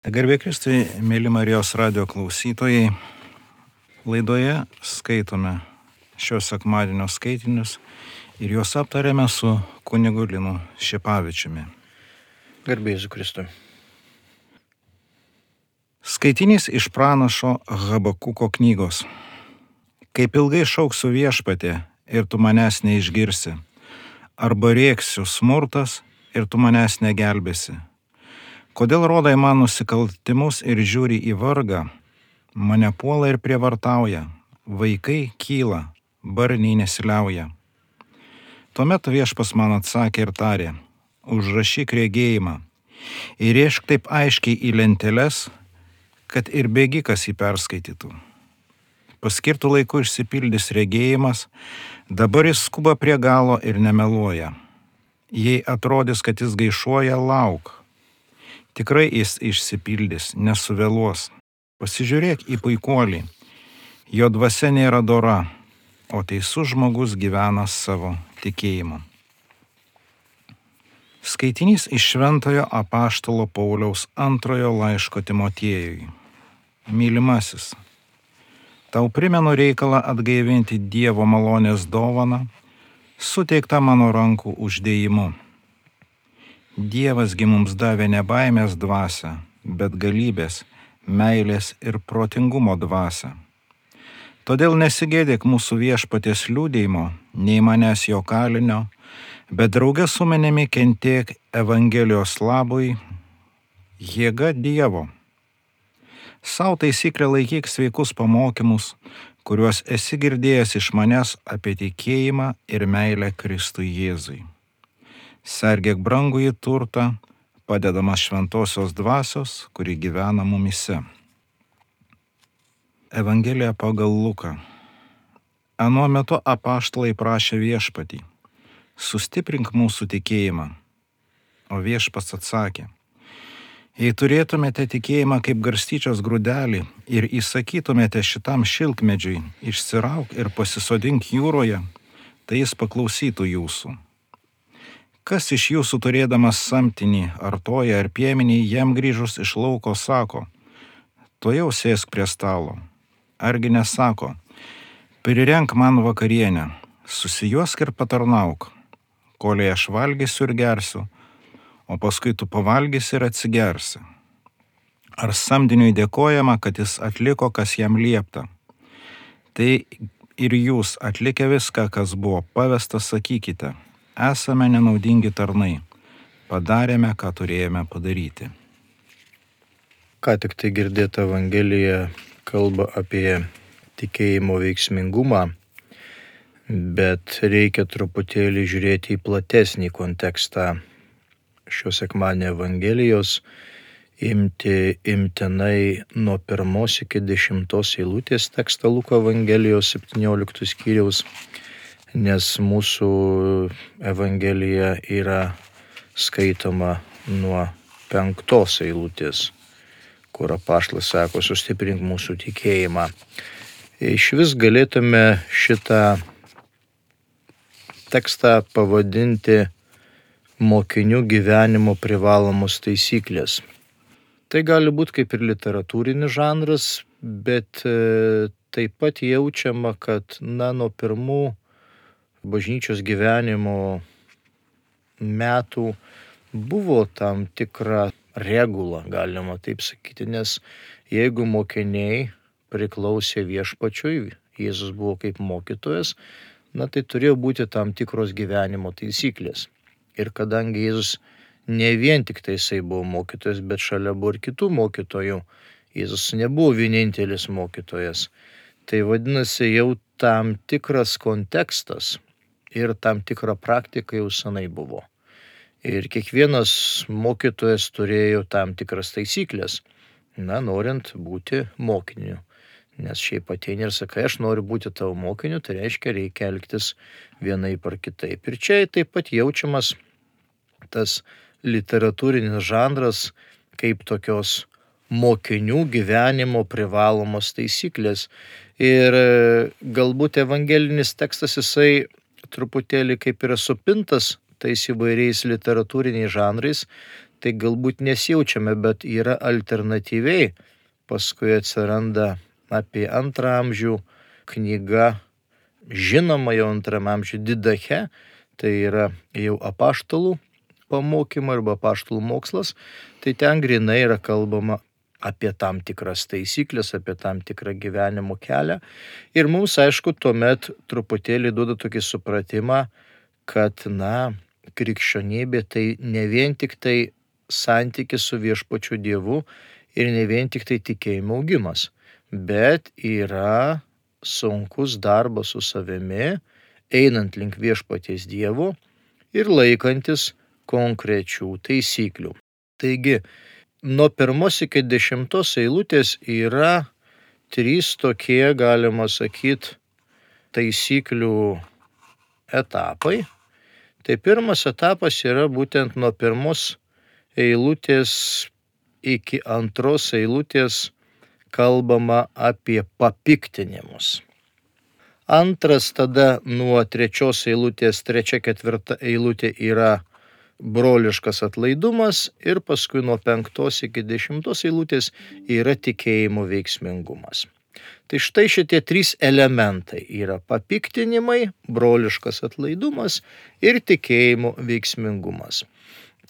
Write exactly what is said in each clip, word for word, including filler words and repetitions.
Garbė Kristui, mėly Marijos radijo klausytojai, laidoje skaitome šios sekmadienio skaitinius ir juos aptarėme su kunigu Linu Šepavičiumi. Garbė Jėzui Kristui. Skaitinys iš pranašo Habakuko knygos. Kaip ilgai šauksiu viešpatį ir tu manęs neišgirsi, arba rėksiu smurtas ir tu manęs negelbėsi. Kodėl rodai man nusikaltimus ir žiūri į vargą, mane puola ir prievartauja, vaikai kyla, barniai nesiliauja. Tuomet viešpas man atsakė ir tarė, užrašyk regėjimą, įrėžk taip aiškiai į lenteles, kad ir bėgikas jį perskaitytų. Paskirtų laiku išsipildys regėjimas, dabar jis skuba prie galo ir nemeluoja. Jei atrodys, kad jis gaišuoja, lauk. Tikrai jis išsipildys, nesuvėluos. Pasižiūrėk į puikuolį, jo dvasia nėra dora, o teisus žmogus gyvena savo tikėjimu. Skaitinys iš Šventojo apaštalo Pauliaus antrojo laiško Timotiejui. Mylimasis, tau primenu reikalą atgaivinti Dievo malonės dovaną, suteiktą mano rankų uždėjimu. Dievas gi mums davė ne baimės dvasią, bet galybės, meilės ir protingumo dvasią. Todėl nesigėdėk mūsų viešpaties liudijimo, nei manęs jo kalinio, bet drauge su manimi kentėk Evangelijos labui, jėga Dievo. Sau taisyklę laikyk sveikus pamokymus, kuriuos esi girdėjęs iš manęs apie tikėjimą ir meilę Kristui Jėzui. Sergėk brangųjį turtą, padedamas šventosios dvasios, kuri gyvena mumyse. Evangelija pagal Luką. Anuo metu apaštalai prašė viešpatį, sustiprink mūsų tikėjimą. O viešpats atsakė, jei turėtumėte tikėjimą kaip garstyčios grūdelį ir įsakytumėte šitam šilkmedžiui, išsirauk ir pasisodink jūroje, tai jis paklausytų jūsų. Kas iš jūsų turėdamas samtinį, ar toją, ar piemenį, jam grįžus iš lauko sako, tuojau sėsk prie stalo. Argi nesako, prirenk man vakarienę, susijuosk ir patarnauk, kolei aš valgysiu ir gersiu, o paskui tu pavalgysi ir atsigersi. Ar samdiniui dėkojama, kad jis atliko, kas jam liepta? Tai ir jūs atlikę viską, kas buvo pavesta, sakykite, esame nenaudingi tarnai, padarėme, ką turėjome padaryti. Ką tik tai girdėta Evangelija kalba apie tikėjimo veiksmingumą, bet reikia truputėlį žiūrėti į platesnį kontekstą šios sekmadienio Evangelijos, imti imtinai nuo pirmos iki dešimtos eilutės tekstą Luko Evangelijos septynioliktos skyriaus, nes mūsų Evangelija yra skaitoma nuo penktos eilutės, kur apaštalas sako, sustiprink mūsų tikėjimą. Iš vis galėtume šitą tekstą pavadinti mokinių gyvenimo privalomos taisyklės. Tai gali būti kaip ir literatūrinis žanras, bet taip pat jaučiama, kad na, nuo pirmų bažnyčios gyvenimo metų buvo tam tikra regula, galima taip sakyti, nes jeigu mokiniai priklausė viešpačiui, Jėzus buvo kaip mokytojas, na tai turėjo būti tam tikros gyvenimo taisyklės. Ir kadangi Jėzus ne vien tik tai jisai buvo mokytojas, bet šalia buvo ir kitų mokytojų, Jėzus nebuvo vienintelis mokytojas, tai vadinasi jau tam tikras kontekstas ir tam tikra praktika jau senai buvo. Ir kiekvienas mokytojas turėjo tam tikras taisyklės, na, norint būti mokiniu. Nes šiaip ateini ir sakai, aš noriu būti tavo mokiniu, tai reiškia, reikia elgtis vienaip ar kitaip. Ir čia taip pat jaučiamas tas literatūrinis žanras kaip tokios mokinių gyvenimo privalomos taisyklės. Ir galbūt evangelinis tekstas jisai truputėlį kaip yra supintas tais įvairiais literatūriniais žanrais, tai galbūt nesijaučiame, bet yra alternatyviai. Paskui atsiranda apie antrą amžių knyga, žinoma jau antram amžių Didache, tai yra jau apaštalų pamokymai arba apaštalų mokslas, tai ten grinai yra kalbama apie tam tikras taisyklės, apie tam tikrą gyvenimo kelią. Ir mums, aišku, tuomet truputėlį duoda tokį supratimą, kad, na, krikščionybė tai ne vien tik tai santykis su viešpačiu Dievu ir ne vien tik tai tikėjimo augimas, bet yra sunkus darbas su savimi, einant link viešpaties Dievo ir laikantis konkrečių taisyklių. Taigi, nuo pirmos iki dešimtos eilutės yra trys tokie, galima sakyti, taisyklių etapai. Tai pirmas etapas yra būtent nuo pirmos eilutės iki antros eilutės kalbama apie papiktinimus. Antras tada nuo trečios eilutės, trečia, ketvirta eilutė yra broliškas atlaidumas ir paskui nuo penktos iki dešimtos eilutės yra tikėjimo veiksmingumas. Tai štai šitie trys elementai yra papiktinimai, broliškas atlaidumas ir tikėjimo veiksmingumas.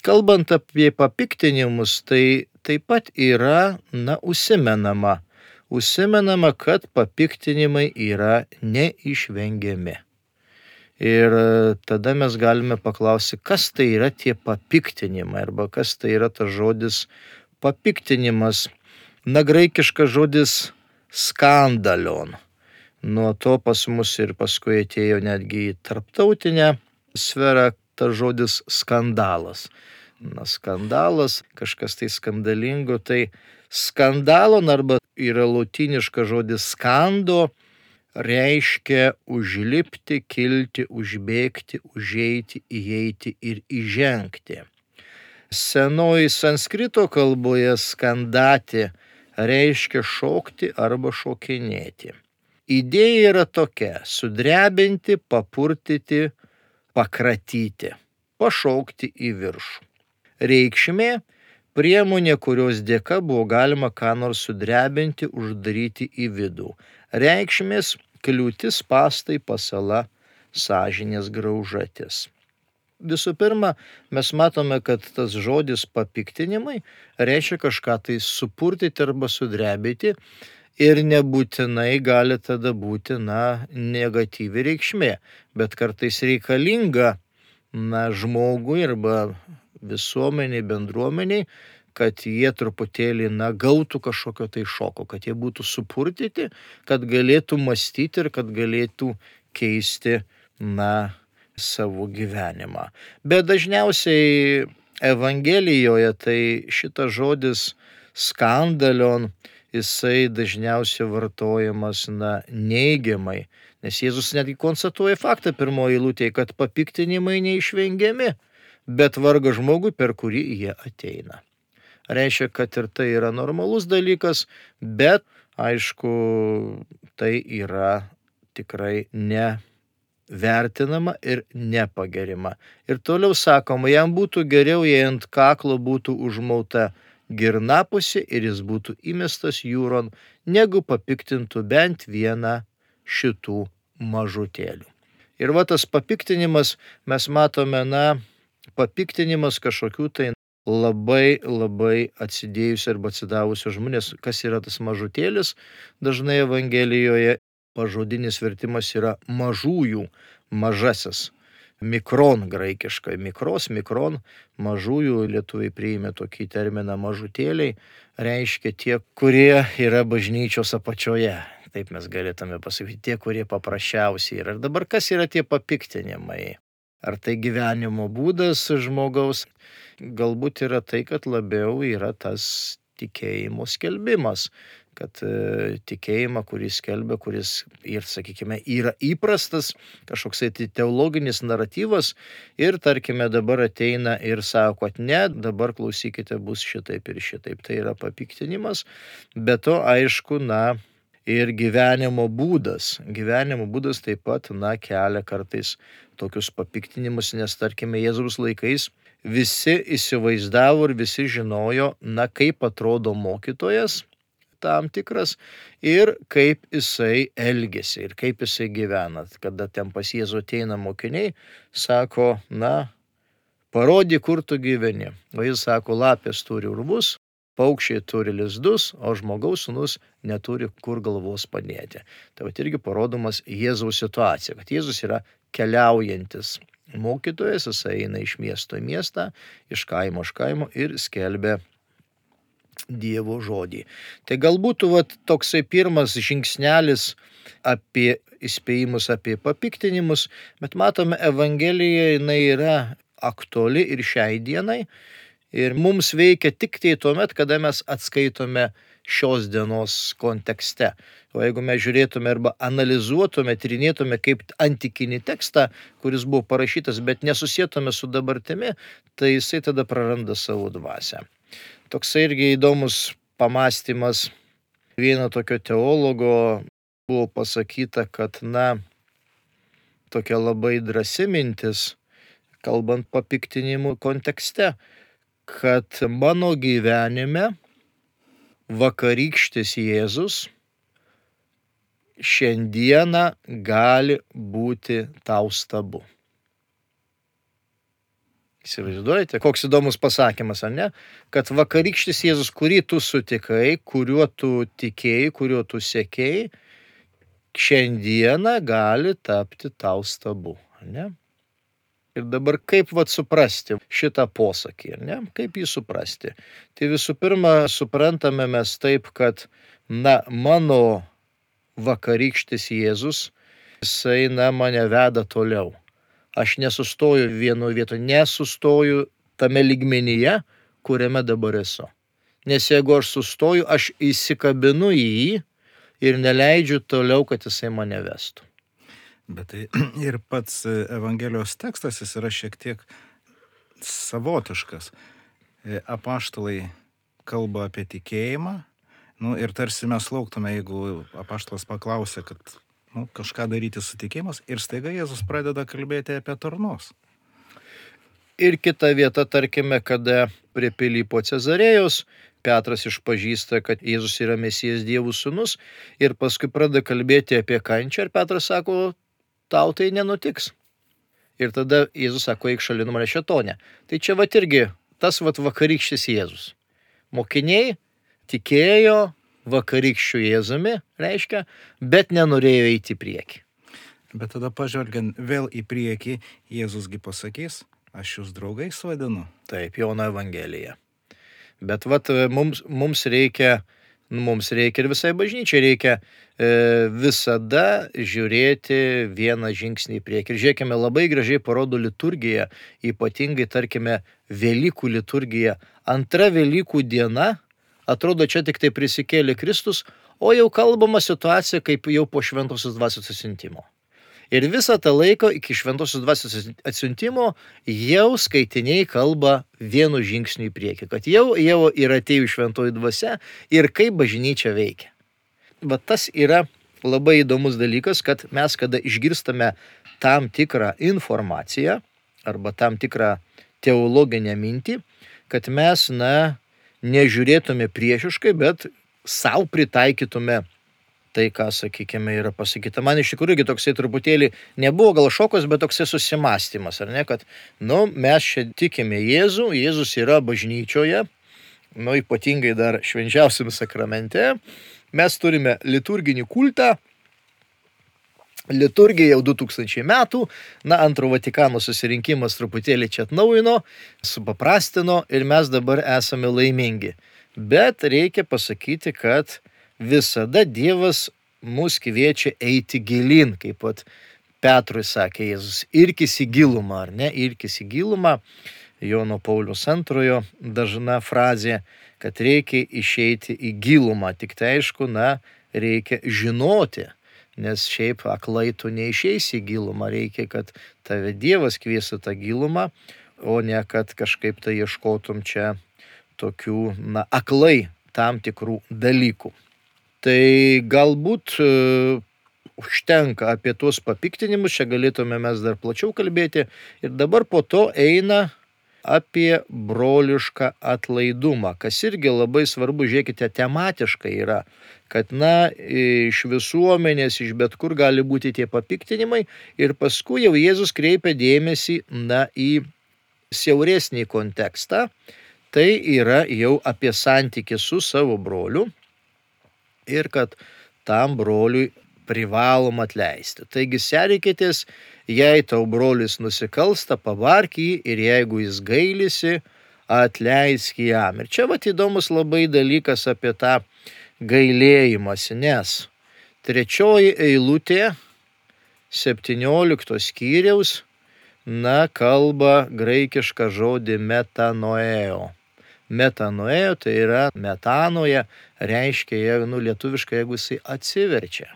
Kalbant apie papiktinimus, tai taip pat yra, na, užsimenama, užsimenama, kad papiktinimai yra neišvengiami. Ir tada mes galime paklausyti, kas tai yra tie papiktinimai arba kas tai yra tas žodis papiktinimas. Na, graikiškas žodis skandalion. Nuo to pas mus ir paskui atėjo netgi į tarptautinę sferą tas žodis skandalas. Na, skandalas, kažkas tai skandalingo, tai skandalon arba yra lotyniškas žodis skando, reiškia užlipti, kilti, užbėgti, užeiti, įeiti ir įžengti. Senoji sanskrito kalboje skandati reiškia šokti arba šokinėti. Idėja yra tokia: sudrebinti, papurtyti, pakratyti, pašaukti į viršų. Reikšmė – priemonė, kurios dėka buvo galima ką nors sudrebinti, uždaryti į vidų. Reikšmės – kliūtis, spąstai, pasala, sąžinės graužatis. Visų pirma, mes matome, kad tas žodis papiktinimai reiškia kažką tai supurtyti arba sudrebinti ir nebūtinai gali tada būti, na, negatyvi reikšmė, bet kartais reikalinga, na, žmogui arba visuomeniai, bendruomeniai, kad jie truputėlį, na, gautų kažkokio tai šoko, kad jie būtų supurtyti, kad galėtų mąstyti ir kad galėtų keisti, na, savo gyvenimą. Bet dažniausiai Evangelijoje tai šitas žodis skandalion, jisai dažniausiai vartojamas, na, neigiamai, nes Jėzus netgi konstatuoja faktą pirmoje eilutėje, kad papiktinimai neišvengiami, bet vargas žmogui, per kurį jie ateina. Reiškia, kad ir tai yra normalus dalykas, bet, aišku, tai yra tikrai nevertinama ir nepagerima. Ir toliau sakoma, jam būtų geriau, jei ant kaklo būtų užmauta girnapusė ir jis būtų įmestas jūron, negu papiktintų bent vieną šitų mažutėlių. Ir va tas papiktinimas, mes matome, na, papiktinimas kažkokių tai labai, labai atsidėjusių arba atsidavusių žmonės. Kas yra tas mažutėlis? Dažnai Evangelijoje pažodinis vertimas yra mažųjų, mažasis. Mikron graikiškai, mikros, mikron, mažųjų, lietuviai priėmė tokį terminą mažutėliai, reiškia tie, kurie yra bažnyčios apačioje. Taip mes galėtume pasakyti, tie, kurie paprasčiausiai yra. Ir dabar kas yra tie papiktinimai? Ar tai gyvenimo būdas žmogaus? Galbūt yra tai, kad labiau yra tas tikėjimo skelbimas, kad e, tikėjimą, kuris skelbia, kuris ir, sakykime, yra įprastas kažkoksai tai teologinis naratyvas ir, tarkime, dabar ateina ir sako, kad ne, dabar klausykite, bus šitaip ir šitaip. Tai yra papiktinimas, bet to, aišku, na, ir gyvenimo būdas. Gyvenimo būdas taip pat, na, kelia kartais tokius papiktinimus, nes, tarkime, Jėzaus laikais visi įsivaizdavo ir visi žinojo, na, kaip atrodo mokytojas tam tikras ir kaip jisai elgesi ir kaip jisai gyvena. Kada ten pas Jėzų ateina mokiniai, sako, na, parodyk, kur tu gyveni. O jis sako, lapės turi urvus, paukščiai turi lizdus, o žmogaus sūnus neturi kur galvos padėti. Tai vat irgi parodomas Jėzaus situacija, kad Jėzus yra keliaujantis mokytojas, jis eina iš miesto į miestą, iš kaimo iš kaimo ir skelbia Dievo žodį. Tai galbūt vat, toksai pirmas žingsnelis apie įspėjimus, apie papiktinimus, bet matome, Evangelija jinai yra aktuali ir šiai dienai ir mums veikia tik tai tuomet, kada mes atskaitome šios dienos kontekste. O jeigu mes žiūrėtume arba analizuotume, tyrinėtume kaip antikinį tekstą, kuris buvo parašytas, bet nesusietume su dabartimi, tai jisai tada praranda savo dvasią. Toks irgi įdomus pamastymas vieno tokio teologo buvo pasakyta, kad, na, tokia labai drąsi mintis, kalbant papiktinimų kontekste, kad mano gyvenime vakarykštis Jėzus šiandieną gali būti tau stabu. Įsivaizduojate, koks įdomus pasakymas, ar ne? Kad vakarykštis Jėzus, kurį tu sutikai, kuriuo tu tikėjai, kuriuo tu sekėjai, šiandieną gali tapti tau stabu, ar ne? Ir dabar kaip vat suprasti šitą posakį, ar ne? Kaip jį suprasti? Tai visų pirma, suprantame mes taip, kad, na, mano vakarykštis Jėzus, jisai, na, mane veda toliau. Aš nesustoju vienoje vietoje, nesustoju tame lygmenyje, kuriame dabar esu. Nes jeigu aš sustoju, aš įsikabinu į jį ir neleidžiu toliau, kad jisai mane vestų. Bet tai ir pats Evangelijos tekstas, jis yra šiek tiek savotiškas. Apaštalai kalba apie tikėjimą, nu, ir tarsi mes lauktume, jeigu apaštalas paklausė, kad nu, kažką daryti su tikėjimas, ir staiga Jėzus pradeda kalbėti apie tarnus. Ir kita vieta, tarkime, kada prie Pilypo Cezarėjos Petras išpažįsta, kad Jėzus yra Mesijas Dievo sūnus, ir paskui pradeda kalbėti apie kančią, ir Petras sako, tau tai nenutiks. Ir tada Jėzus sako, eik šalin nuo manęs šėtone. Tai čia vat irgi tas vat vakarykštis Jėzus. Mokiniai tikėjo vakarykščių Jėzumi, reiškia, bet nenorėjo eiti į priekį. Bet tada pažvelgiant vėl į priekį, Jėzusgi pasakys, aš jūs draugais vadinu. Taip, Jono Evangelija. Bet vat mums, mums reikia, mums reikia ir visai bažnyčiai reikia e, visada žiūrėti vieną žingsnį į priekį. Ir žiūrėkime, labai gražiai parodo liturgija, ypatingai, tarkime, Velykų liturgija. Antra Velykų diena, atrodo, čia tik tai prisikėlė Kristus, o jau kalbama situacija kaip jau po šventosios dvasios atsiuntimo. Ir visą tą laiką iki šventosios dvasios atsiuntimo jau skaitiniai kalba vienu žingsniu į priekį, kad jau, jau yra atėjų šventoji dvasia ir kaip bažnyčia veikia. Bet tas yra labai įdomus dalykas, kad mes, kada išgirstame tam tikrą informaciją arba tam tikrą teologinę mintį, kad mes, na, nežiūrėtume priešiškai, bet savo pritaikytume tai, ką, sakykime, yra pasakyta. Man iš tikrųjų toksai truputėlį nebuvo gal šokas, bet toksai susimastymas, ar ne, kad, nu, mes čia tikime Jėzų, Jėzus yra bažnyčioje, nu, ypatingai dar švenčiausiam sakramente, mes turime liturginį kultą, liturgija jau du tūkstančiai metų, na, antro Vatikano susirinkimas truputėlį čia atnaujino, supaprastino ir mes dabar esame laimingi. Bet reikia pasakyti, kad visada Dievas mus kviečia eiti gilin, kaip pat Petrui sakė Jėzus, irkis į gilumą, ar ne, irkis į gilumą, Jono Pauliaus antrojo dažna frazė, kad reikia išeiti į gilumą, tik tai aišku, na, reikia žinoti, nes šiaip aklai tu neišeisi į gilumą, reikia, kad tave Dievas kviestų tą gilumą, o ne kad kažkaip tai ieškotum čia tokių, na, aklai tam tikrų dalykų. Tai galbūt uh, užtenka apie tuos papiktinimus, čia galėtume mes dar plačiau kalbėti, ir dabar po to eina apie brolišką atlaidumą, kas irgi labai svarbu, žiūrėkite, tematiškai yra, kad, na, iš visuomenės, iš bet kur gali būti tie papiktinimai ir paskui jau Jėzus kreipia dėmesį, na, į siauresnį kontekstą, tai yra jau apie santykį su savo broliu ir kad tam broliui privalom atleisti. Taigi serikitės, jei tau brolis nusikalsta, pabark jį ir jeigu jis gailisi, atleisk jam. Ir čia vat įdomus labai dalykas apie tą gailėjimąsi, nes trečioji eilutė septyniolikto skyriaus, na, kalba graikišką žodį metanoeo. Metanoeo tai yra metanoje, reiškia, nu, lietuviškai, jeigu jisai atsiverčia.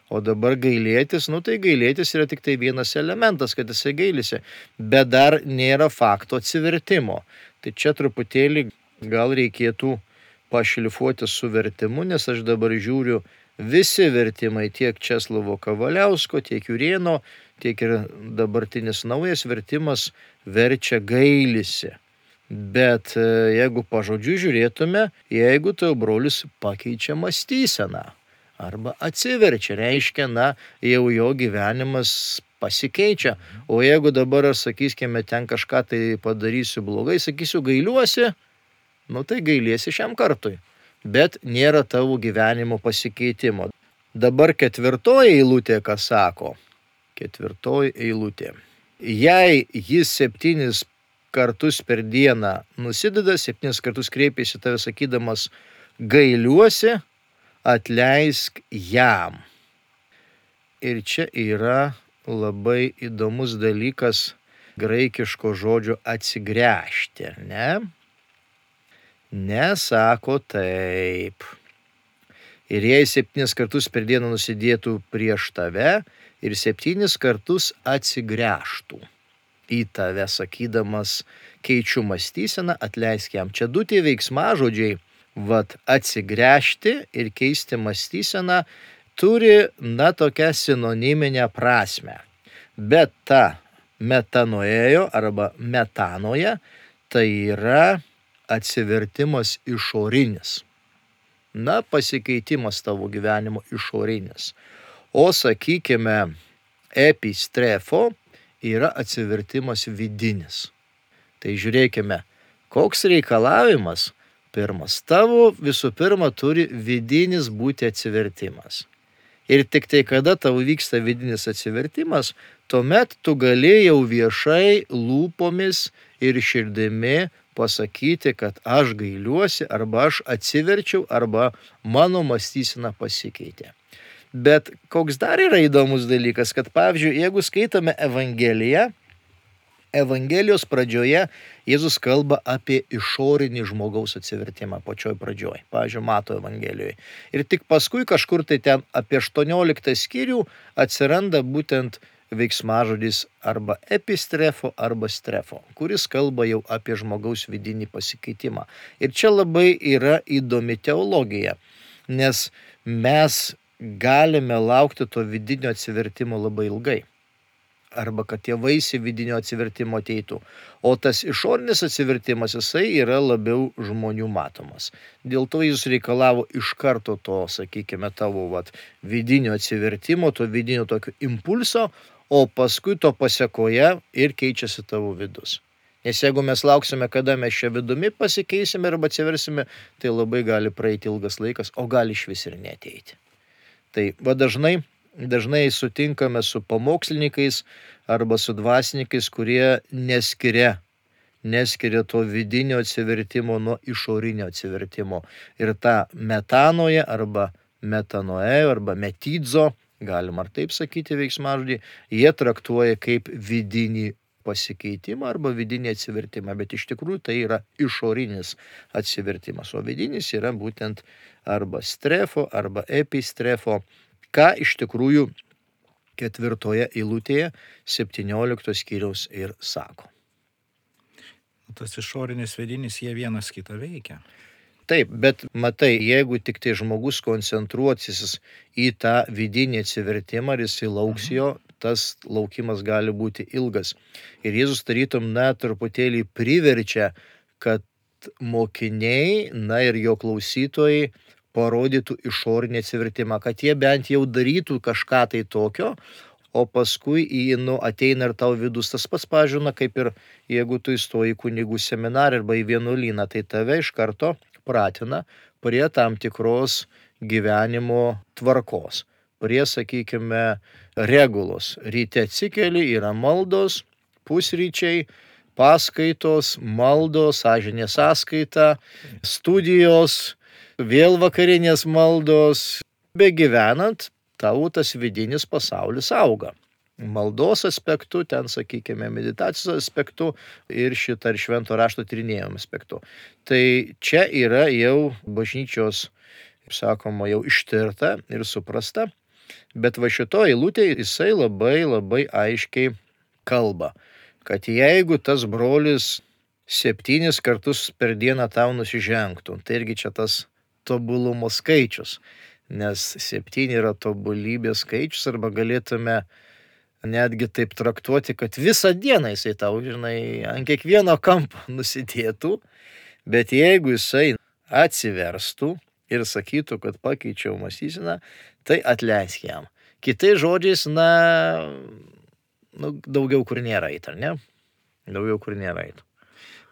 O dabar gailėtis, nu tai gailėtis yra tik tai vienas elementas, kad jisai gailisi, bet dar nėra fakto atsivertimo. Tai čia truputėlį gal reikėtų pašlifuoti su vertimu, nes aš dabar žiūriu visi vertimai, tiek Česlovo Kavaliausko, tiek Jurėno, tiek ir dabartinis naujas vertimas verčia gailisi. Bet jeigu pažodžiu žiūrėtume, jeigu tavo brolis pakeičia mąstyseną arba atsiverčia, reiškia, na, jau jo gyvenimas pasikeičia. O jeigu dabar, sakysime, ten kažką tai padarysiu blogai, sakysiu, gailiuosi, nu tai gailiesi šiam kartui. Bet nėra tavo gyvenimo pasikeitimo. Dabar ketvirtoji eilutė, ką sako? Ketvirtoji eilutė. Jei jis septynis kartus per dieną nusideda, septynis kartus kreipiasi tave sakydamas gailiuosi, atleisk jam. Ir čia yra labai įdomus dalykas graikiško žodžio atsigręžti, ne? Nesako taip. Ir jei septynis kartus per dieną nusidėtų prieš tave ir septynis kartus atsigręžtų į tave, sakydamas keičiu mąstyseną, atleisk jam. Čia du tie veiksmažodžiai, vat atsigręžti ir keisti mąstyseną, turi, na, tokią sinoniminę prasmę. Bet ta metanoėjo arba metanoje, tai yra atsivertimas išorinis. Na, pasikeitimas tavo gyvenimo išorinis. O sakykime, epistrefo yra atsivertimas vidinis. Tai žiūrėkime, koks reikalavimas. Pirmas, tavo visų pirma turi vidinis būti atsivertimas. Ir tik tai kada tavo vyksta vidinis atsivertimas, tuomet tu gali jau viešai lūpomis ir širdimi pasakyti, kad aš gailiuosi, arba aš atsiverčiau, arba mano mąstysena pasikeitė. Bet koks dar yra įdomus dalykas, kad pavyzdžiui, jeigu skaitome Evangeliją, Evangelijos pradžioje Jėzus kalba apie išorinį žmogaus atsivertimą pačioj pradžioj, pavyzdžiui, Mato Evangelijoje. Ir tik paskui kažkur tai ten apie aštuonioliktą skyrių atsiranda būtent veiksmažodis arba epistrefo arba strefo, kuris kalba jau apie žmogaus vidinį pasikeitimą. Ir čia labai yra įdomi teologija, nes mes galime laukti to vidinio atsivertimo labai ilgai. Arba kad tie vaisiai vidinio atsivertimo ateitų. O tas išorinis atsivertimas, jisai yra labiau žmonių matomas. Dėl to jis reikalavo iš karto to, sakykime, tavo vat, vidinio atsivertimo, to vidinio tokio impulso, o paskui to pasekoje ir keičiasi tavo vidus. Nes jeigu mes lauksime, kada mes čia vidumi pasikeisime arba atsiversime, tai labai gali praeiti ilgas laikas, o gali išvis ir neateiti. Tai va dažnai Dažnai sutinkame su pamokslininkais arba su dvasininkais, kurie neskiria, neskiria to vidinio atsivertimo nuo išorinio atsivertimo. Ir tą metanoje arba metanoe arba metidzo, galima ar taip sakyti veiksmažodį, jie traktuoja kaip vidinį pasikeitimą arba vidinį atsivertimą, bet iš tikrųjų tai yra išorinis atsivertimas, o vidinis yra būtent arba strefo arba epistrefo, ką iš tikrųjų ketvirtoje eilutėje septyniolikto skyriaus ir sako. Tas išorinis vidinis, jie vienas kitą veikia. Taip, bet matai, jeigu tik tai žmogus koncentruosis į tą vidinį atsivertimą, ar jis lauks jo, tas laukimas gali būti ilgas. Ir Jėzus tarytum, na, truputėlį priverčia, kad mokiniai, na ir jo klausytojai parodytų išorinį atsivertimą, kad jie bent jau darytų kažką tai tokio, o paskui į, nu, ateina ir tau vidus tas pats, pažiūrėna, kaip ir jeigu tu įstoji į kunigų seminarą arba į vienuolyną, tai tave iš karto pratina prie tam tikros gyvenimo tvarkos, prie, sakykime, regulos. Ryte atsikeli, yra maldos, pusryčiai, paskaitos, maldos, sąžinės sąskaita, studijos, vėl vakarinės maldos. Begyvenant, tavo tas vidinis pasaulis auga. Maldos aspektu, ten, sakykime, meditacijos aspektu ir šitą ir švento rašto tyrinėjimo aspektu. Tai čia yra jau bažnyčios, kaip sakoma, jau ištirta ir suprasta, bet va šito eilutė jisai labai labai aiškiai kalba, kad jeigu tas brolis septynis kartus per dieną tau nusižengtų, tai irgi čia tas tobulumo skaičius, nes septyni yra tobulybės skaičius, arba galėtume netgi taip traktuoti, kad visą dieną jisai tau, žinai, ant kiekvieno kampo nusidėtų, bet jeigu jisai atsiverstų ir sakytų, kad pakeičiau mąstyseną, tai atleisk jam. Kitais žodžiais, na, nu, daugiau kur nėra eit, ar ne? Daugiau kur nėra eit.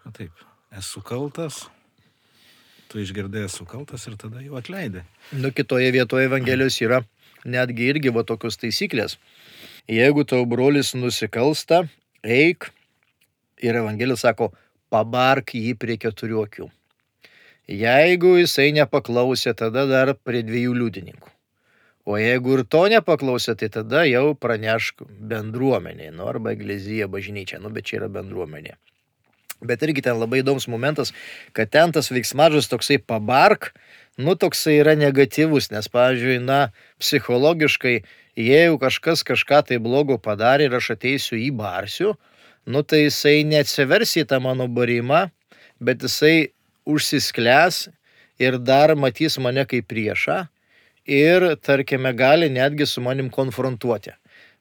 Na taip, esu kaltas, tu išgirdai esu kaltas ir tada jau atleidai. Nu, kitoje vietoje Evangelijos yra netgi irgi va tokios taisyklės. Jeigu tau brolis nusikalsta, eik, ir Evangelija sako, pabark jį prie keturių akių. Jeigu jisai nepaklausė, tada dar prie dviejų liudininkų. O jeigu ir to nepaklausė, tai tada jau pranešk bendruomeniai, nu, arba eklezija, bažnyčia, nu, bet čia yra bendruomenė. Bet irgi ten labai įdomus momentas, kad ten tas veiksmažodis toksai pabark, nu, toksai yra negatyvus, nes, pavyzdžiui, na, psichologiškai, jeigu kažkas kažką tai blogo padarė ir aš ateisiu į barsiu, nu, tai jisai neatsivers į tą mano barimą, bet jisai užsisklęs ir dar matys mane kaip priešą ir, tarkime, gali netgi su manim konfrontuoti.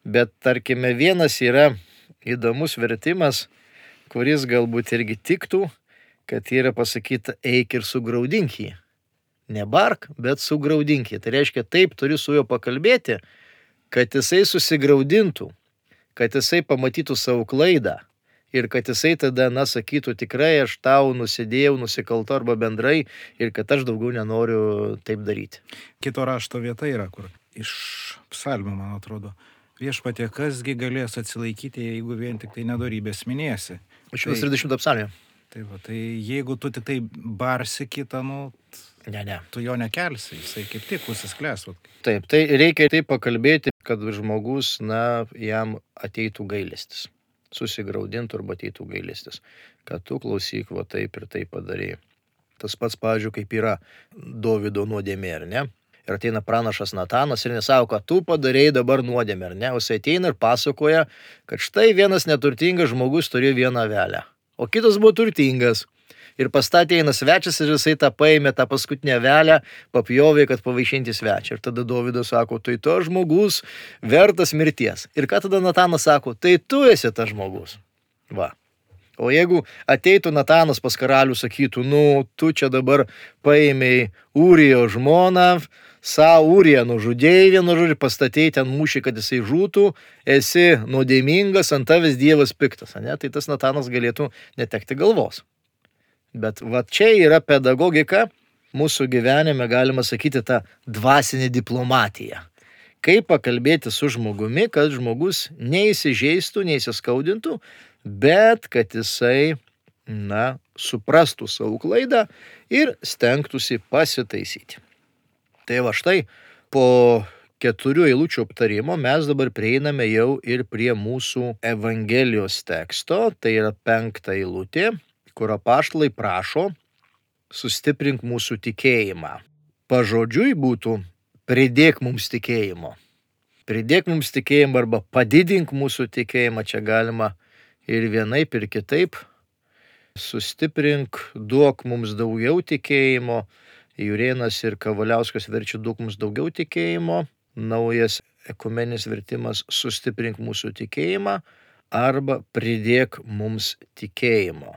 Bet, tarkime, vienas yra įdomus vertimas, kuris galbūt irgi tiktų, kad yra pasakyta eik ir sugraudink jį. Ne bark, bet sugraudink jį. Tai reiškia, taip turi su juo pakalbėti, kad jisai susigraudintų, kad jisai pamatytų savo klaidą ir kad jisai tada, na, sakytų tikrai aš tau nusidėjau, nusikalto arba bendrai ir kad aš daugiau nenoriu taip daryti. Kito rašto vieta yra, kur iš psalmių, man atrodo, viešpatie, kasgi galės atsilaikyti, jeigu vien tik tai nedorybės minėsi. šimtas trisdešimtą psalmę. Tai va, tai jeigu tu tik tai barsi kitą, nu, Ne, ne. tu jo nekelsi, jisai kaip tik užsisklęs. Taip, tai reikia taip pakalbėti, kad žmogus, na, jam ateitų gailestis. Susigraudintų arba ateitų gailestis. Kad tu klausyk, va taip ir taip padarėjai. Tas pats, pavyzdžiui, kaip yra Dovydo nuodėmė, ar ne? Ir ateina pranašas Natanas ir nesako, kad tu padarėjai dabar nuodėmę, ar ne? O jis ateina ir pasakoja, kad štai vienas neturtingas žmogus turėjo vieną avelę, o kitas buvo turtingas. Ir pastatė eina svečias ir jisai tą paėmė, tą paskutinę avelę, papjovė, kad pavaišinti svečią. Ir tada Dovydas sako, tai to žmogus vertas mirties. Ir ką tada Natanas sako, tai tu esi tas žmogus. Va. O jeigu ateitų Natanas pas karalių, sakytų, nu, tu čia dabar paėmėjai Ūrijo žmoną, savo Ūriją nužudėjai vienu žodžiu, pastatėjai ten mūšį, kad jisai žūtų, esi nuodėmingas, ant tavęs Dievas piktas, ne? Tai tas Natanas galėtų netekti galvos. Bet va čia yra pedagogika, mūsų gyvenime galima sakyti tą dvasinę diplomatiją. Kaip pakalbėti su žmogumi, kad žmogus neįsižeistų, neįsiskaudintų, bet kad jisai, na, suprastų savo klaidą ir stengtųsi pasitaisyti. Tai va štai po keturių eilučių aptarimo mes dabar prieiname jau ir prie mūsų Evangelijos teksto, tai yra penkta eilutė, kur apaštalai prašo sustiprink mūsų tikėjimą. Pažodžiui būtų pridėk mums tikėjimo. Pridėk mums tikėjimą arba padidink mūsų tikėjimą, čia galima ir vienaip ir kitaip. Sustiprink, duok mums daugiau tikėjimo. Jurėnas ir Kavaliauskas verčia duok mums daugiau tikėjimo. naujas ekumeninis vertimas sustiprink mūsų tikėjimą arba pridėk mums tikėjimo.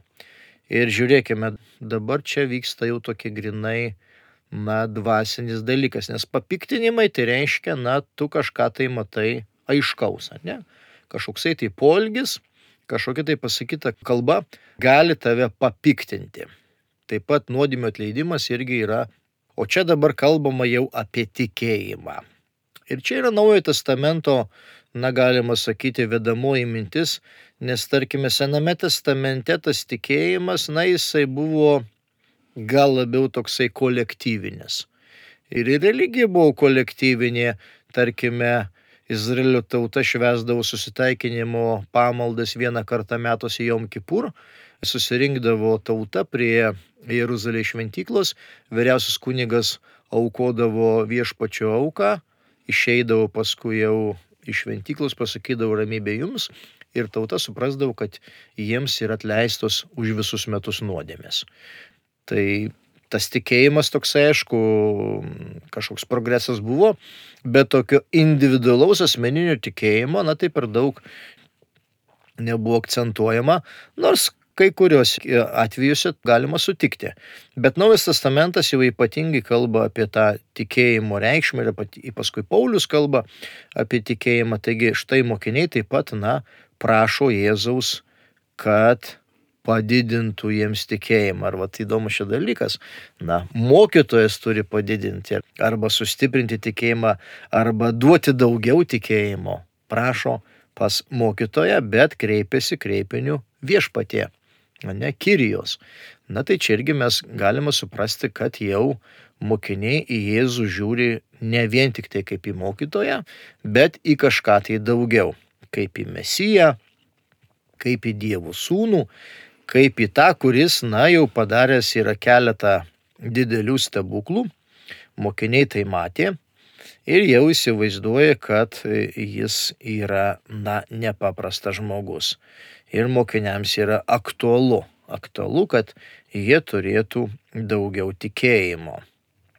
Ir žiūrėkime, dabar čia vyksta jau tokie grinai, na, dvasinis dalykas, nes papiktinimai tai reiškia, na, tu kažką tai matai aiškaus, ne? Kažkoksai tai poelgis, kažkokia tai pasakyta kalba gali tave papiktinti. Taip pat nuodėmių atleidimas irgi yra, o čia dabar kalbama jau apie tikėjimą. Ir čia yra Naujojo testamento, na, galima sakyti, vedamoji mintis, nes tarkime Sename testamente tas tikėjimas, na, jisai buvo gal labiau toksai kolektyvinis. Ir religija buvo kolektyvinė, tarkime, Izraelio tauta švęsdavo susitaikinimo pamaldas vieną kartą metuose Jom Kipur, susirinkdavo tauta prie Jeruzalės šventyklos, vyriausias kunigas aukodavo viešpačio auką, išeidavo paskui jau iš šventyklos, pasakydavo ramybė jums ir tauta suprasdavo, kad jiems yra atleistos už visus metus nuodėmės. Tai tas tikėjimas toks, aišku, kažkoks progresas buvo, bet tokio individualaus asmeninio tikėjimo, na tai per daug nebuvo akcentuojama, nors kai kurios atvejuose galima sutikti. Bet Naujas testamentas jau ypatingai kalba apie tą tikėjimo reikšmę ir paskui Paulius kalba apie tikėjimą. Taigi štai mokiniai taip pat, na, prašo Jėzaus, kad padidintų jiems tikėjimą. Ar vat įdomus šis dalykas? Na, mokytojas turi padidinti arba sustiprinti tikėjimą, arba duoti daugiau tikėjimo. Prašo pas mokytoją, bet kreipiasi kreipiniu viešpatie, ne Kyrijos. Na tai čia irgi mes galime suprasti, kad jau mokiniai į Jėzų žiūri ne vien tik tai kaip į mokytoją, bet į kažką tai daugiau. Kaip į Mesiją, kaip į Dievo sūnų, kaip į tą, kuris, na, jau padaręs yra keletą didelių stebuklų. Mokiniai tai matė ir jau įsivaizduoja, kad jis yra, na, nepaprastas žmogus. Ir mokiniams yra aktualu, aktualu, kad jie turėtų daugiau tikėjimo.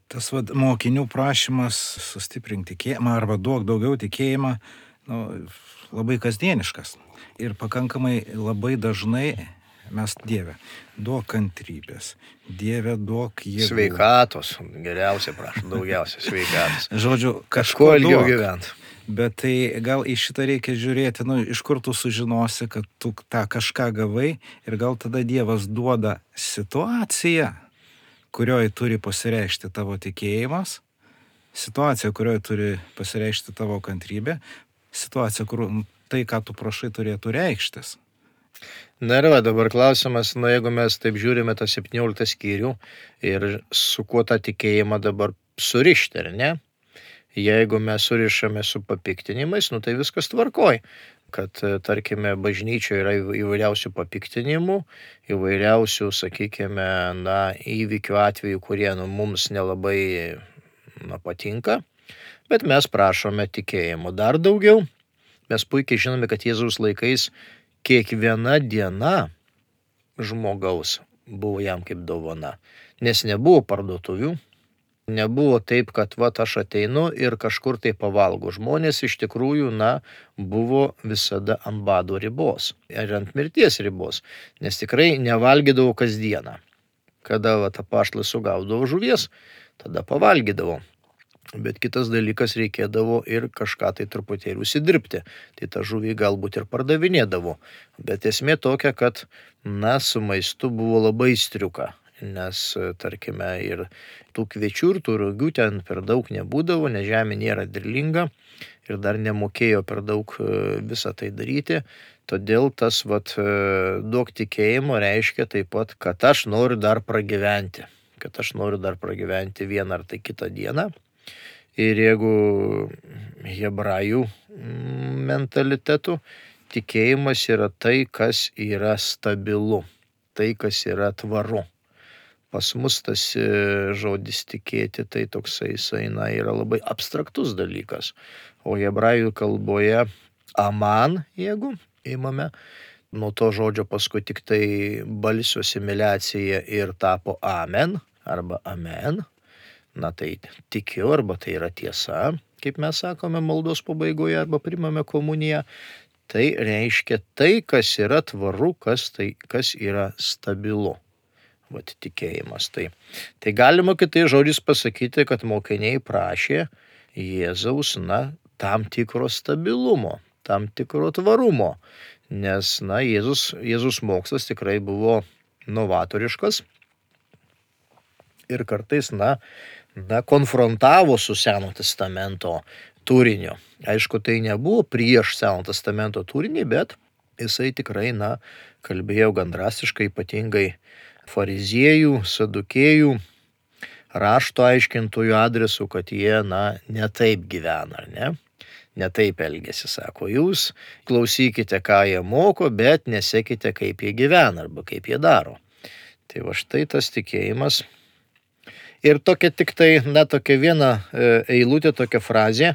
Tas vad mokinių prašymas sustiprink tikėjimą arba duok daugiau tikėjimą, nu, labai kasdieniškas. Ir pakankamai labai dažnai mes Dieve, duok kantrybės, Dieve, duok jėgų. Sveikatos, geriausia prašau, daugiausia sveikatos. Žodžiu, kažko ilgiau gyventi. Bet tai gal į šitą reikia žiūrėti, nu, iš kur tu sužinosi, kad tu tą kažką gavai ir gal tada Dievas duoda situaciją, kurioje turi pasireikšti tavo tikėjimas, situacija, kurioje turi pasireikšti tavo kantrybė, situacija, kur tai, ką tu prašai, turėtų reikštis. Na ir va, dabar klausimas, na jeigu mes taip žiūrime tą septynioliktą skyrių ir su kuo tą tikėjimą dabar surišti, ar ne? Jeigu mes surišame su papiktinimais, nu tai viskas tvarkoj. Kad, tarkime, bažnyčioje yra įvairiausių papiktinimų, įvairiausių, sakykime, na, įvykių atveju, kurie, nu, mums nelabai, na, patinka, bet mes prašome tikėjimo dar daugiau. Mes puikiai žinome, kad Jėzaus laikais kiekviena diena žmogaus buvo jam kaip dovana, nes nebuvo parduotuvių, nebuvo taip, kad va aš ateinu ir kažkur tai pavalgo. Žmonės iš tikrųjų, na, buvo visada ant bado ribos ir ant mirties ribos, nes tikrai nevalgydavo kasdieną. Kada va apaštalai sugaudavo žuvies, tada pavalgydavo. Bet kitas dalykas, reikėdavo ir kažką tai truputėlį užsidirbti. Tai tą žuvį galbūt ir pardavinėdavo. Bet esmė tokia, kad, na, su maistu buvo labai striuka. Nes, tarkime, ir tų kviečių ir tų rugių ten per daug nebūdavo, nes žemė nėra derlinga ir dar nemokėjo per daug visą tai daryti. Todėl tas, vat, duok tikėjimo reiškia taip pat, kad aš noriu dar pragyventi. Kad aš noriu dar pragyventi vieną ar tai kitą dieną. Ir jeigu hebrajų mentalitetų, tikėjimas yra tai, kas yra stabilu, tai, kas yra tvaru. Pas mus tas žodis tikėti, tai toksai eina yra labai abstraktus dalykas. O hebrajų kalboje aman, jeigu įmame, nuo to žodžio paskui tik tai balsio asimiliacija ir tapo amen arba amen. na tai tikiu arba tai yra tiesa, kaip mes sakome maldos pabaigoje arba primame komuniją, tai reiškia tai, kas yra tvaru, kas, tai, kas yra stabilu. Vat tikėjimas. Tai, tai galima kitais žodžiais pasakyti, kad mokiniai prašė Jėzaus, na, tam tikro stabilumo, tam tikro tvarumo, nes, na, Jėzus, Jėzus mokslas tikrai buvo novatoriškas ir kartais, na, na, konfrontavo su Seno testamento turiniu. Aišku, tai nebuvo prieš Seno testamento turinį, bet jisai tikrai, na, kalbėjo gan drastiškai, ypatingai fariziejų, sadukėjų, rašto aiškintojų adresu, kad jie, na, netaip gyvena, ar ne? Netaip elgesi, sako, jūs klausykite, ką jie moko, bet nesekite, kaip jie gyvena arba kaip jie daro. Tai va štai tas tikėjimas. Ir tokia tik tai, na, tokia viena eilutė, tokia frazė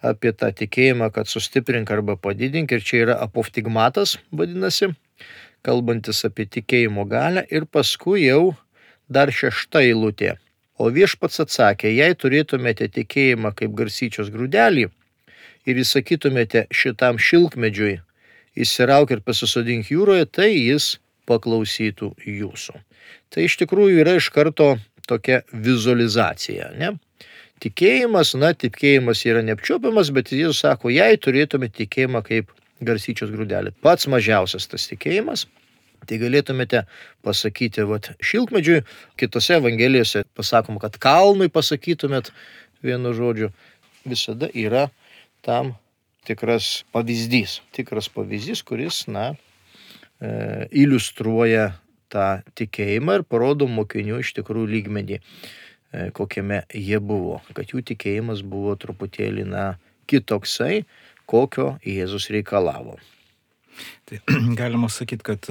apie tą tikėjimą, kad sustiprink arba padidink, ir čia yra apoftigmatas, vadinasi, kalbantis apie tikėjimo galią, ir paskui jau dar šešta eilutė. O viešpats atsakė, jei turėtumėte tikėjimą kaip garstyčios grūdelį ir įsakytumėte šitam šilkmedžiui, įsirauk ir pasisodink jūroje, tai jis paklausytų jūsų. Tai iš tikrųjų yra iš karto tokia vizualizacija, ne? Tikėjimas, na, tikėjimas yra neapčiuopiamas, bet Jėzus sako, jei turėtumėte tikėjimą kaip garstyčios grūdelį. Pats mažiausias tas tikėjimas, tai galėtumėte pasakyti, vat, šilkmedžiui, kitose evangelijose pasakoma, kad kalnui pasakytumėt vienu žodžiu, visada yra tam tikras pavyzdys, tikras pavyzdys, kuris, na, e, iliustruoja tą tikėjimą ir parodo mokinių iš tikrųjų lygmenį, e, kokiame jie buvo, kad jų tikėjimas buvo truputėlį, na, kitoksai, kokio Jėzus reikalavo. Tai galima sakyti, kad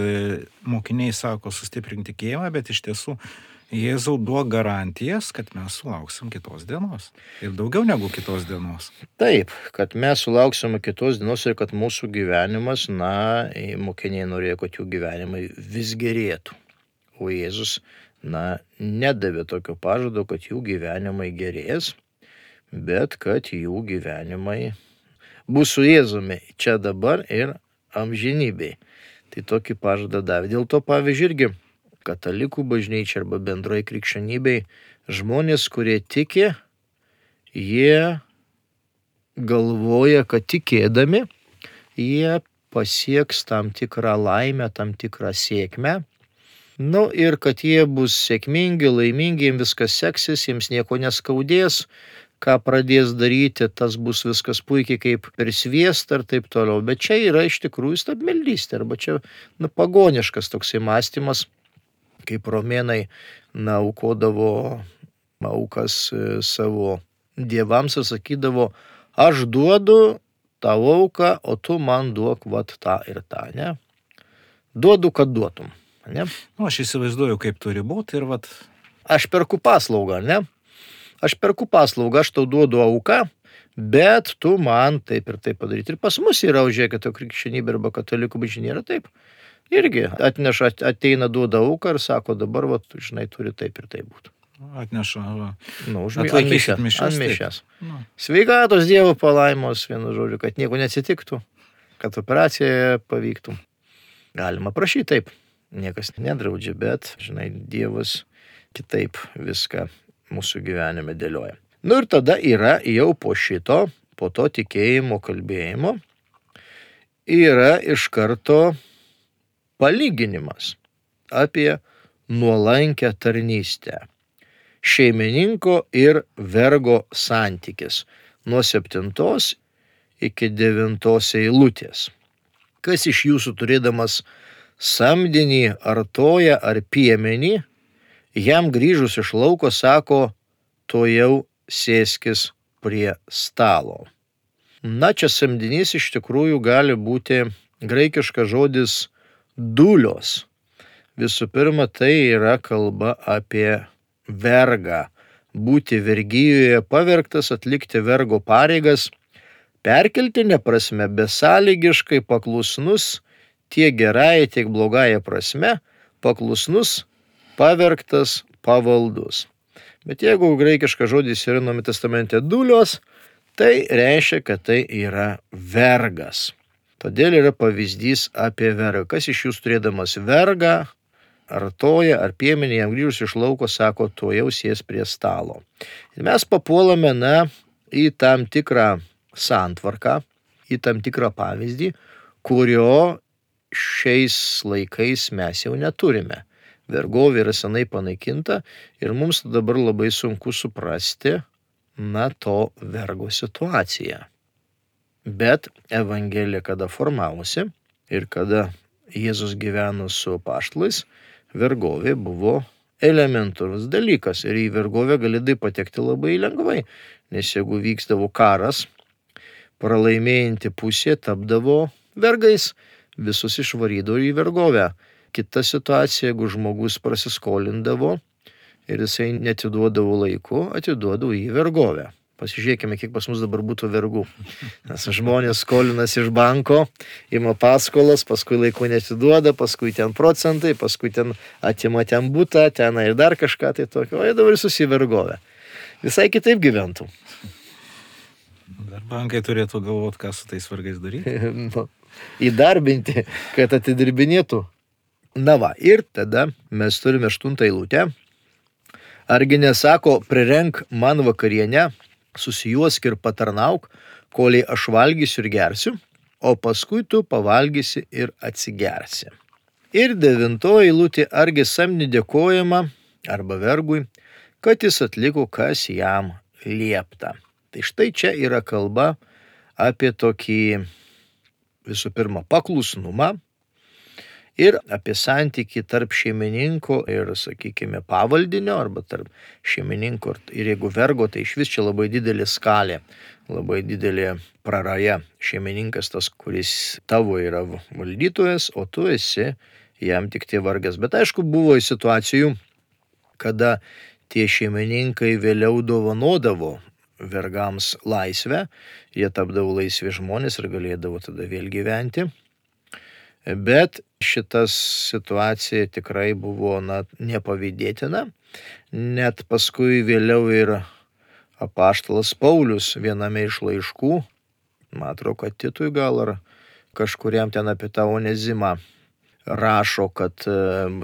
mokiniai sako sustiprink tikėjimą, bet iš tiesų Jėzau duok garantijas, kad mes sulauksim kitos dienos. Ir daugiau negu kitos dienos. Taip, kad mes sulauksime kitos dienos ir kad mūsų gyvenimas, na, mokiniai norėjo, kad jų gyvenimai vis gerėtų. O Jėzus, na, nedavė tokio pažado, kad jų gyvenimai gerės, bet kad jų gyvenimai bus su Jėzumi čia dabar ir amžinybėj. Tai tokį pažadą davė. Dėl to, pavyzdžiui, irgi katalikų bažnyčia arba bendroji krikščionybei žmonės, kurie tiki, jie galvoja, kad tikėdami jie pasieks tam tikrą laimę, tam tikrą sėkmę. Nu ir kad jie bus sėkmingi, laimingi, jiems viskas seksis, jiems nieko neskaudės, ką pradės daryti, tas bus viskas puikiai kaip per sviestą ir taip toliau. Bet čia yra iš tikrųjų stabmeldystė, arba čia, na, pagoniškas toksai mąstymas, kaip romėnai, na, aukodavo aukas savo dievams ir sakydavo, aš duodu tavo auką, o tu man duok vat tą ir tą, ne? Duodu, kad duotum, ne? Nu, aš įsivaizduoju, kaip turi būti ir vat. Aš perku paslaugą, ne? Aš perku paslaugą, aš tau duodu auką, bet tu man taip ir taip padaryti. Ir pas mus yra, žiūrėkit, to krikščionybė arba katalikų bažnyčia yra taip. Irgi atneša, ateina, duoda auką ir sako, dabar, va, žinai, turi taip ir taip būti. Atneša, va. Nu, užmėšęs. Atmišęs. Nu. Sveikatos Dievo palaimos, vienu žodžiu, kad nieko neatsitiktų, kad operacija pavyktų. Galima prašyti taip, niekas nedraudžia, bet, žinai, Dievas kitaip viską mūsų gyvenime dėlioja. Nu ir tada yra jau po šito, po to tikėjimo kalbėjimo, yra iš karto palyginimas apie nuolankę tarnystę. Šeimininko ir vergo santykis nuo septintos iki devintos eilutės. Kas iš jūsų turėdamas samdinį ar toją ar piemenį, jam grįžus iš lauko sako, to jau sėskis prie stalo. Na, čia samdinys iš tikrųjų gali būti graikiškas žodis dulios. Visų pirma, tai yra kalba apie vergą. Būti vergijoje pavergtas, atlikti vergo pareigas, perkeltinė prasme, besąlygiškai paklusnus, tiek gerąją, tiek blogąją prasme, paklusnus, pavergtas, pavaldus. Bet jeigu graikiškas žodis yra Naujame testamente dulios, tai reiškia, kad tai yra vergas. Todėl yra pavyzdys apie vergą. Kas iš jūs turėdamas vergą, ar toją, ar piemenį, jam grįžus iš lauko, sako, tuo jau sės prie stalo. Ir mes papuolame, na, į tam tikrą santvarką, į tam tikrą pavyzdį, kurio šiais laikais mes jau neturime. Vergovė yra senai panaikinta ir mums dabar labai sunku suprasti, na, to vergo situaciją. Bet Evangelija, kada formavosi ir kada Jėzus gyveno su apaštalais, vergovė buvo elementarus dalykas ir į vergovę galėdai patekti labai lengvai, nes jeigu vykdavo karas, pralaimėjanti pusė tapdavo vergais, visus išvarydavo į vergovę. Kita situacija, jeigu žmogus prasiskolindavo ir jisai netiduodavo laiku, atiduodavo į vergovę. Pasižiūrėkime, kiek pas mus dabar būtų vergų. Nes žmonės skolinasi iš banko, ima paskolas, paskui laiku netiduoda, paskui ten procentai, paskui ten atima ten butą, ten ir dar kažką tai tokio, o jie dabar susivergovę. Visai kitaip gyventų. Dar bankai turėtų galvoti, ką su tais vergais daryti. Nu, įdarbinti, kad atidirbinėtų. Na va, ir tada mes turime aštuntą eilutę. Argi nesako, prirenk man vakarienę, susijuosk ir patarnauk, koliai aš valgysiu ir gersiu, o paskui tu pavalgysi ir atsigersi. Ir devintoji eilutė, argi samdiniui dėkojama arba vergui, kad jis atliko, kas jam liepta. Tai štai čia yra kalba apie tokį visų pirma paklusnumą ir apie santykį tarp šeimininko ir, sakykime, pavaldinio, arba tarp šeimininko ir jeigu vergo, tai iš vis čia labai didelė skalė, labai didelė praraja. Šeimininkas tas, kuris tavo yra valdytojas, o tu esi jam tik tai vargas. Bet aišku, buvo situacijų, kada tie šeimininkai vėliau dovanodavo vergams laisvę, jie tapdavo laisvi žmonės ir galėdavo tada vėl gyventi. Bet šitas situacija tikrai buvo, na, nepavydėtina. Net paskui vėliau ir apaštalas Paulius viename iš laiškų, man atrodo, kad Titui gal ar kažkuriam ten apie tą Onezimą, rašo, kad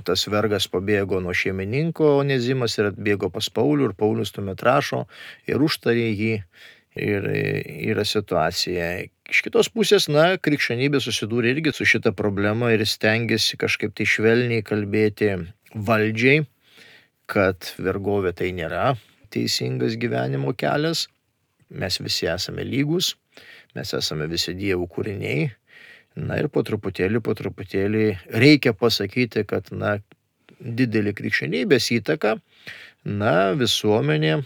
tas vergas pabėgo nuo šeimininko Onezimas ir atbėgo pas Paulių ir Paulius tuomet rašo ir užtarė jį. Ir yra situacija. Iš kitos pusės, na, krikščionybė susidūrė irgi su šita problema ir stengiasi kažkaip tai švelniai kalbėti valdžiai, kad vergovė tai nėra teisingas gyvenimo kelias. Mes visi esame lygus, mes esame visi Dievo kūriniai. Na ir po truputėlį, po truputėlį reikia pasakyti, kad, na, didelį krikščionybės įtaką, na, visuomenė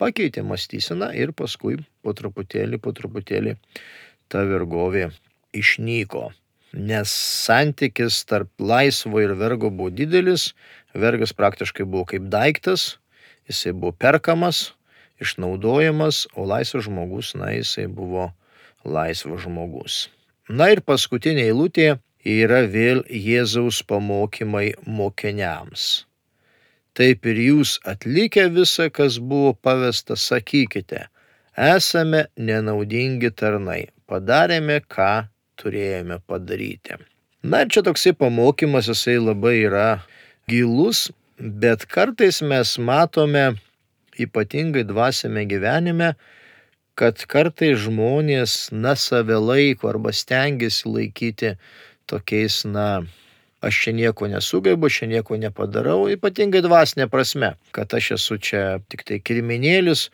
pakeitė mąstyseną ir paskui po truputėlį, po truputėlį ta vergovė išnyko. Nes santykis tarp laisvo ir vergo buvo didelis, vergas praktiškai buvo kaip daiktas, jisai buvo perkamas, išnaudojamas, o laisvas žmogus, na, jisai buvo laisvas žmogus. Na ir paskutinė eilutė yra vėl Jėzaus pamokymai mokiniams. Taip ir jūs atlikę visą, kas buvo pavesta, sakykite, esame nenaudingi tarnai, padarėme, ką turėjome padaryti. Na ir čia toksai pamokymas, jisai labai yra gilus, bet kartais mes matome, ypatingai dvasiame gyvenime, kad kartais žmonės, na, save laiko arba stengiasi laikyti tokiais, na, aš čia nieko nesugebu, čia nieko nepadarau, ypatingai dvasinė prasme, kad aš esu čia tik tai kirminėlis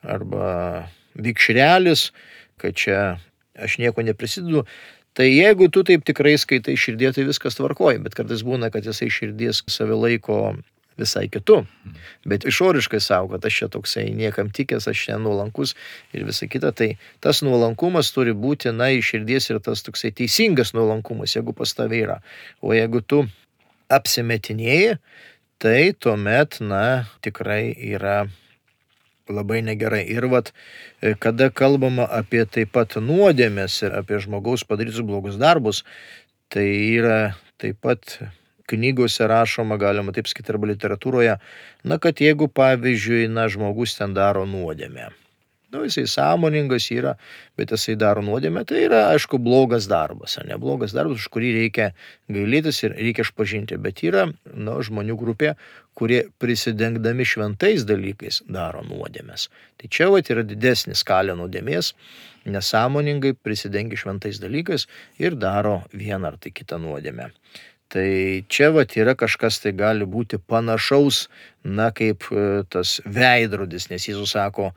arba vikšrelis, kad čia aš nieko neprisidedu. Tai jeigu tu taip tikrai skaitai širdie, tai viskas tvarkoja, bet kartais būna, kad jisai širdies save laiko visai kitu, bet išoriškai savo, kad aš čia toksai niekam tikęs, aš čia nuolankus ir visa kita, tai tas nuolankumas turi būti, na, iš širdies ir tas toksai teisingas nuolankumas, jeigu pas tave yra. O jeigu tu apsimetinėji, tai tuomet, na, tikrai yra labai negerai. Ir vat, kada kalbama apie taip pat nuodėmes ir apie žmogaus padarytus blogus darbus, tai yra taip pat knygose rašoma, galima taip sakyti, arba literatūroje, na, kad jeigu, pavyzdžiui, na, žmogus ten daro nuodėmę, nu, jisai sąmoningas yra, bet jisai daro nuodėmę, tai yra, aišku, blogas darbas, ar ne blogas darbas, už kurį reikia gailėtis ir reikia išpažinti, bet yra, nu, žmonių grupė, kurie prisidengdami šventais dalykais daro nuodėmės. Tai čia vat yra didesnis skalė nuodėmės, nesąmoningai prisidengia šventais dalykais ir daro vieną ar tai kitą nuodėmę. Tai čia vat yra kažkas, tai gali būti panašaus, na, kaip tas veidrodis, nes Jėzus sako,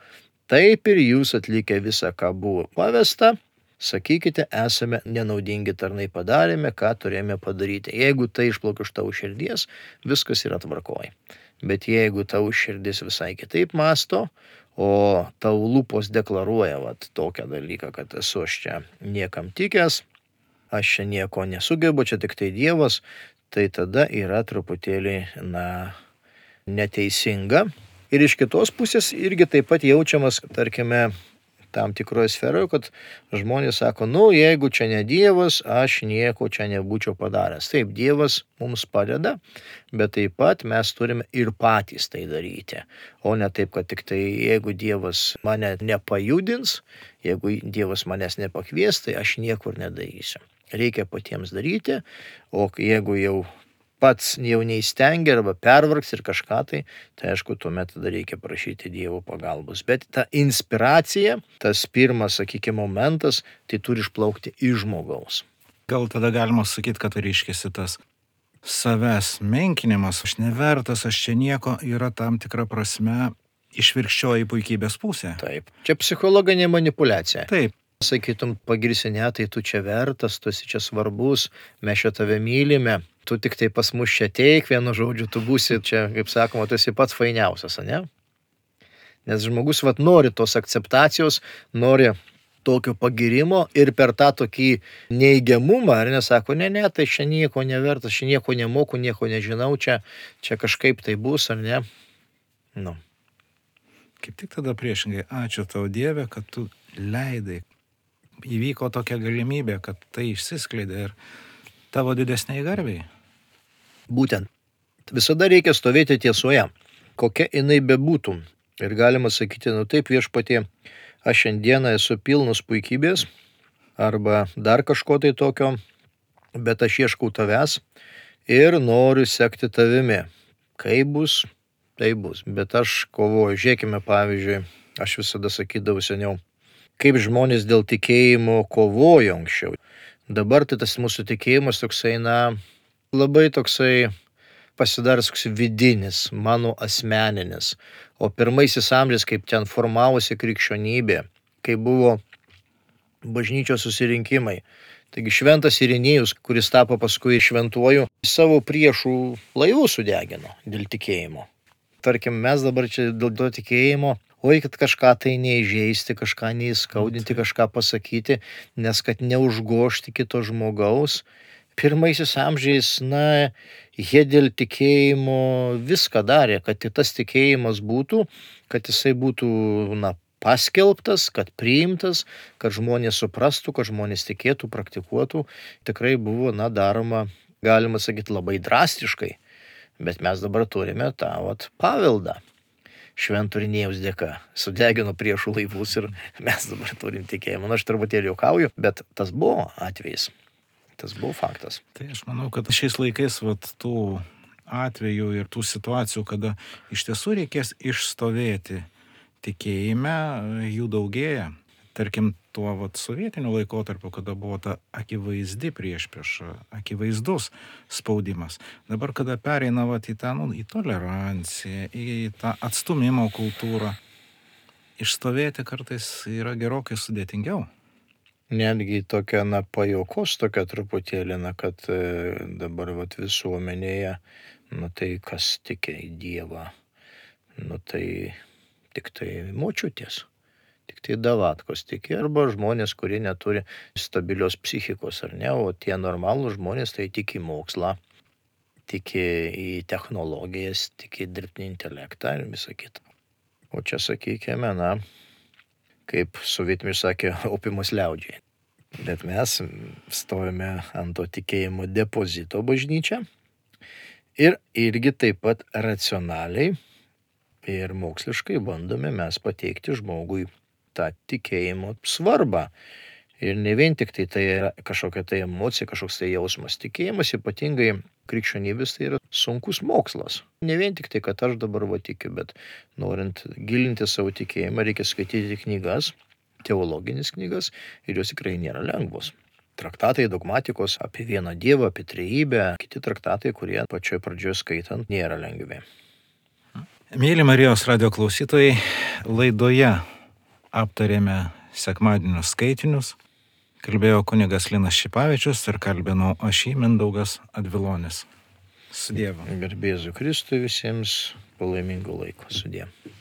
taip ir jūs atlikę visą, ką buvo pavesta, sakykite, esame nenaudingi tarnai, padarėme, ką turėjome padaryti. Jeigu tai išplaukia iš tavo širdies, viskas yra tvarkoj. Bet jeigu tavo širdis visai kitaip masto, o tavo lūpos deklaruoja vat, tokią dalyką, kad esu aš čia niekam tikęs, aš čia nieko nesugebu, čia tik tai Dievas, tai tada yra truputėlį, na, neteisinga. Ir iš kitos pusės irgi taip pat jaučiamas, tarkime, tam tikroje sferoje, kad žmonės sako, nu, jeigu čia ne Dievas, aš nieko čia nebūčiau padaręs. Taip, Dievas mums padeda, bet taip pat mes turime ir patys tai daryti. O ne taip, kad tik tai jeigu Dievas mane nepajudins, jeigu Dievas manęs nepakvies, tai aš niekur nedarysiu. Reikia patiems daryti, o jeigu jau pats jau neįstengia arba pervargs ir kažką tai, tai aišku, tuomet tada reikia prašyti Dievo pagalbos. Bet ta inspiracija, tas pirmas, sakykime, momentas, tai turi išplaukti iš žmogaus. Gal tada galima sakyti, kad reiškiasi tas savęs menkinimas, aš nevertas, aš čia nieko, yra tam tikra prasme išvirkščioji puikybės pusė. Taip. Čia psichologinė manipulacija. Taip. Sakytum, pagirsi, ne, tai tu čia vertas, tu esi čia svarbus, mes čia tave mylime, tu tik tai pas mus čia teik, vienu žodžiu, tu būsi čia, kaip sakoma, tu esi pats fainiausias, ne? Nes žmogus vat nori tos akceptacijos, nori tokio pagirimo ir per tą tokį neigiamumą, ar nesako, ne, ne, tai čia nieko nevertas, čia nieko nemoku, nieko nežinau, čia, čia kažkaip tai bus, ar ne? Nu. Kaip tik tada priešingai, ačiū tau Dieve, kad tu leidai. Įvyko tokia galimybė, kad tai išsiskleidė ir tavo didesniai garbiai. Būtent. Visada reikia stovėti tiesoje, kokia jinai bebūtų. Ir galima sakyti, nu taip Viešpatie, aš šiandieną esu pilnas puikybės arba dar kažko tai tokio, bet aš ieškau tavęs ir noriu sekti tavimi. Kaip bus, tai bus. Bet aš kovoju. Žiūrėkime, pavyzdžiui, aš visada sakydavau seniau, kaip žmonės dėl tikėjimo kovojo anksčiau. Dabar tai tas mūsų tikėjimas toksai, na, labai toksai pasidaręs toks vidinis, mano asmeninis. O pirmaisiais amžiais, kaip ten formavosi krikščionybė, kai buvo bažnyčios susirinkimai. Taigi šventas Irinėjus, kuris tapo paskui šventuoju, savo priešų laivus sudegino dėl tikėjimo. Tarkim, mes dabar čia dėl to tikėjimo, oi, kad kažką tai neįžeisti, kažką neįskaudinti, kažką pasakyti, nes kad neužgošti kito žmogaus. Pirmaisiais amžiais, na, jie dėl tikėjimo viską darė, kad tas tikėjimas būtų, kad jisai būtų, na, paskelbtas, kad priimtas, kad žmonės suprastų, kad žmonės tikėtų, praktikuotų. Tikrai buvo, na, daroma, galima sakyti, labai drastiškai. Bet mes dabar turime tą vat paveldą. Švento Irinėjaus dėka sudegino priešų laivus ir mes dabar turim tikėjimą. Na, aš truputėlį juokauju, bet tas buvo atvejis. Tas buvo faktas. Tai aš manau, kad šiais laikais vat, tų atvejų ir tų situacijų, kada iš tiesų reikės išstovėti tikėjime, jų daugėja. Tarkim, tuo vat, sovietiniu laikotarpiu, kada buvo ta akivaizdi priešprieša, akivaizdus spaudimas. Dabar, kada pereina vat, į tą, nu, į toleranciją, į tą atstumimo kultūrą, išstovėti kartais yra gerokai sudėtingiau. Netgi tokia, na, pajaukos tokia truputėlį, na, kad e, dabar vat, visuomenėje, nu tai kas tiki į Dievą, nu tai tik tai močiutės. Tik tai davatkos tiki, arba žmonės, kurie neturi stabilios psichikos, ar ne, o tie normalūs žmonės tai tiki mokslą, tiki į technologijas, tiki dirbtinį intelektą ir visą kitą. O čia, sakykime, na, kaip sovietmečiu sakė, opimas liaudžiai. Bet mes stovime ant to tikėjimo depozito bažnyčią Ir irgi taip pat racionaliai ir moksliškai bandome mes pateikti žmogui tą tikėjimo svarbą. Ir ne vien tik tai tai yra kažkokia tai emocija, kažkoks tai jausmas. Tikėjimas ypatingai krikščionybės tai yra sunkus mokslas. Ne vien tik tai, kad aš dabar va tikiu, bet norint gilinti savo tikėjimą, reikia skaityti knygas, teologinis knygas, ir jos tikrai nėra lengvos. Traktatai dogmatikos apie vieną Dievą, apie trejybę, kiti traktatai, kurie pačioj pradžioje skaitant nėra lengvi. Mėly Marijos radio klausytojai, laidoje aptarėme sekmadienio skaitinius. Kalbėjo kunigas Linas Šipavičius ir kalbinau aš jį, Mindaugas Advilonis. Su Dievu. Garbė Jėzui Kristui visiems, palaimingo laiko. Su Dievu.